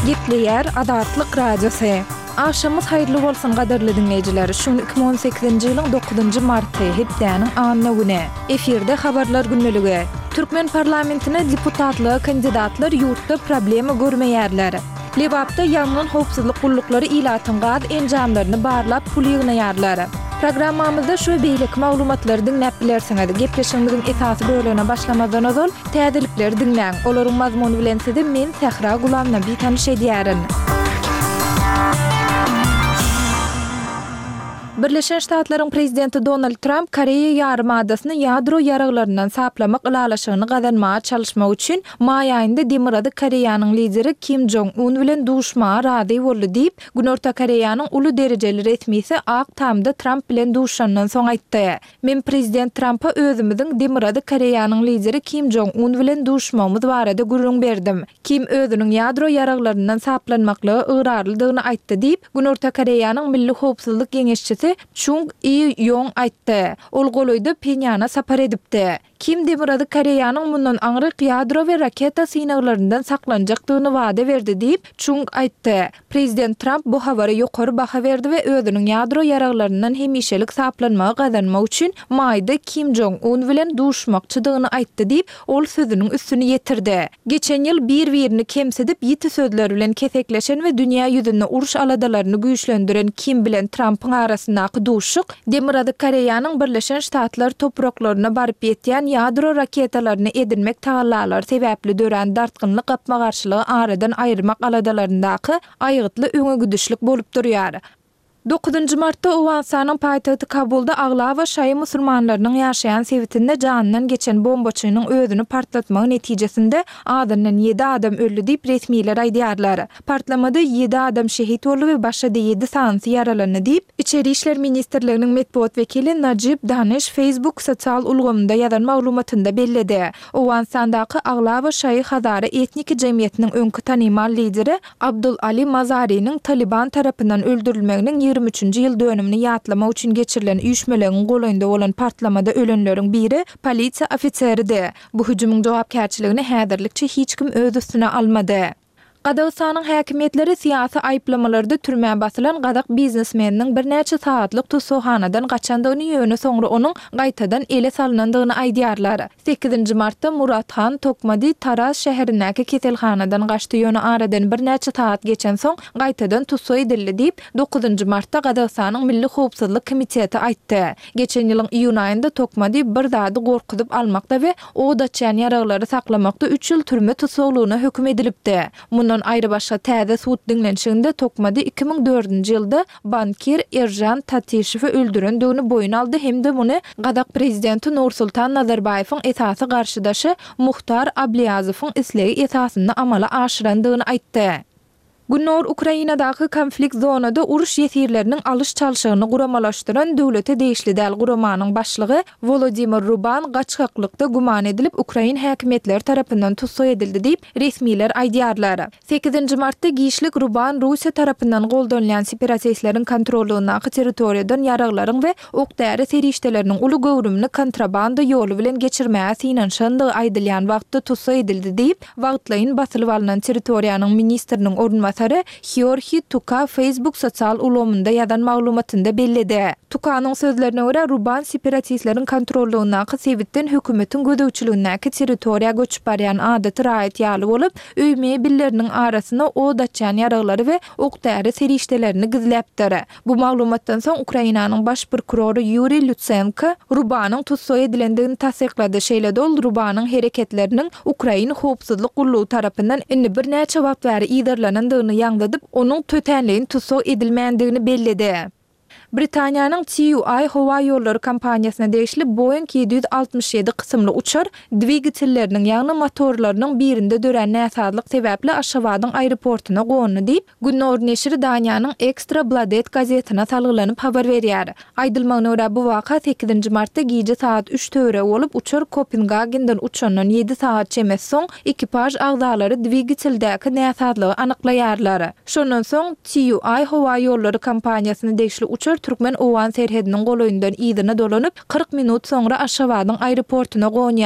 Gepleýär Azatlyk Radiosy. Agşamyňyz haýyrly bolsun gadyrly diňleýjiler! Şu gün 2018-nji ýylyň dokuzynjy marty, hepdäniň anna güni. Efirde Habarlar gündeligi. Türkmen parlamentine deputatlyga kandidatlar ýurtda problema görmeýärler. Lebapda ýangyn howpsuzlyk gulluklary ilatyň gaz enjamlaryny barlap pul ýygnaýarlar. Programmamyzda şu we beýleki maglumatlary diňläp bilersiňiz. Gepleşigimiziň esasy bölegine başlamazdan ozal, täzelikleri diňläň. Olaryň mazmuny bilen sizi men, Sähra Gulamnabi tanyş edýärin. Birleşen Ştatlaryň Prezidenti Donald Tramp Koreýa ýarymadasyny ýadro ýaraglaryndan saplamak ylalaşygyny gazanmaga çalyşmak üçin maý aýynda Demirgazyk Koreýanyň lideri Kim Jong Un bilen duşmaga razy boldy diýip, Günorta Koreýanyň uly derejeli resmisi Ak Tamda Tramp bilen duşandan soň aýtdy. Men Prezident Trampa özümiziň Demirgazyk Koreýanyň lideri Kim Jong Un bilen duşmagymyz barada gürrüň berdim. Kim özüniň ýadro ýaraglaryndan saplanmaklyga ygrarlydygyny aýtdy diýip, Günorta Koreýanyň milli howpsuzlyk geňeşçisi Çung I Ýong aýtdy. Ol golaýda Phenýana sapar edipdi. Kim Demirgazyk Koreýanyň mundan aňryk ýadro we raketa synaglaryndan saklanjakdygyny wada berdi diýip, Çung aýtdy. Prezident Tramp bu habara ýokary baha berdi we özüniň ýadro ýaraglaryndan hemişelik saplanmagy gazanmak üçin maýda Kim Jong Un bilen duşmakçydygyny aýtdy diýip, ol sözüniň üstüni ýetirdi. Geçen ýyl bir-birini kemsidip, ýiti sözler bilen kesekleşen we dünýä ýüzünde uruş aladalaryny güýçlendiren Kim bilen Trampyň arasyndaky duşuşyk Demirgazyk Koreýanyň Birleşen Ştatlar topraklaryna baryp ýetýän ýadro raketalaryny edinmek tagallalary sebäpli dörän dartgynly gapma-garşylygy aradan aýyrmak aladalaryndaky aýgytly öňegidişlik bolup durýar. Dokuzynjy martda Owganystanyň paýtagty Kabulda aglaba şaýy musulmanlarynyň ýaşaýan sebitinde janyndan geçen bombaçynyň özüni partlatmagy netijesinde azyndan ýedi adam öldi diýip, resmiler aýdýarlar. Partlamada ýedi adam şehit boldy we başga-da ýedi sanysy ýaralandy diýip, Içeri işler ministrliginiň metbugat wekili Najib Daniş Facebook sosial ulgamynda ýazan maglumatynda belledi. Owganystandaky aglaba şaýy hazara etniki jemgyýetiniň öňki tanymal lideri Abdul Ali Mazariniň Talyban tarapyndan öldürilmeginiň 23-nji ýyl dönümini ýatlamak üçin geçirilen üýşmeleňiň golaýynda bolan partlamada ölenleriň biri polisiýa ofiseridi. Bu hüjümiň jogapkärçiligini häzirlikçe hiç kim öz üstüne almady. Gazagystanyň häkimiýetleri syýasy aýyplamalarda türmä basylan gazak biznesmeniniň birnäçe sagatlyk tussaghanadan gaçandygyny, ýöne soňra onuň gaýtadan ele salnandygyny aýdýarlar. Sekizinji martda Murathan Tokmadi Taraz şäherindäki keselhanadan gaçdy, ýöne aradan birnäçe sagat geçensoň gaýtadan tussag edildi diýip, dokuzynjy martda Gazagystanyň Milli howpsuzlyk komiteti aýtdy. Geçen ýylyň iýun aýynda Tokmadi bir zady gorkuzyp almakda we Od açýan ýaraglary saklamakda üç ýyl türme tussaglygyna höküm edilipdi. Mundan aýrybaşga täze sud diňlenişiginde Tokmadi 2004-nji ýylda bankir Eržan Tatişewi öldürendigini boýun aldy hem-de muny gazak prezidenti Nursultan Nazarbaýewiň esasy garşydaşy Muhtar Abliýazowyň islegi esasynda amala aşyrandygyny aýtdy. Gündogar Ukrainadaky konflikt zonada uruş ýesirleriniň alyş-çalşygyny guramalaşdyran döwlete degişli däl guramanyň başlygy Wolodymyr Ruban gaçgaklykda güman edilip, ukrain häkimiýetleri tarapyndan tussag edildi diýip, resmiler aýdýarlar. Sekizinji martda giçlik Ruban Russiýa tarapyndan goldanylýan separatistleriň kontrollygyndaky territoriýadan ýaraglaryň we ok-däri serişdeleriniň uly göwrümini kontrabanda ýoly bilen geçirmäge synanyşandygy aýdylýan wagtda tussag edildi diýip, Wagtlaýyn basylyp alnan territoriýanyň ministriniň orunbasary Heorhiý Tuka Facebook sosial ulgamynda ýazan maglumatynda belledi. Tukanyň sözlerine görä, Ruban separatistleriň kontrollygyndaky sebitden hökümetiň gözegçiligindäki territoriýa göçüp barýan adaty raýat ýaly bolup, öý mebelleriniň arasyna od açýan ýaraglary we ok-däri serişdelerini gizläpdir. Bu maglumatdan soň Ukrainanyň baş prokurory Ýuriý Lutsenko Rubanyň tussag edilendigini tassyklady, şeýle-de ol Rubanyň hereketleriniň ukrain howpsuzlyk gullugy tarapyndan indi birnäçe wagt bäri yzarlanandygyny ýaňzydyp, onuň tötänleýin tussag edilmändigini belledi. Britaniýanyň TUI howa ýollary kompaniýasyna degişli Boeing 767 kysymly uçar dwigatelleriniň, ýagny motorlarynyň birinde dörän näsazlyk sebäpli Aşgabadyň aeroportuna gondy diýip, Gündogar neşiri Daniýanyň Ekstra Bladet gazetine salgylanyp habar berýär. Aýdylmagyna görä, bu waka sekizinji martda gije sagat üç töweregi bolup, uçar Kopengagenden uçandan ýedi sagat çemesi soň, ekipaž agzalary dwigateldäki näsazlygy anyklaýarlar. Şondan soň, TUI howa ýollary kompaniýasyna degişli uçar türkmen-owgan serhediniň golaýyndan yzyna dolanyp, 40 minut soňra Aşgabadyň aeroportuna gonýar.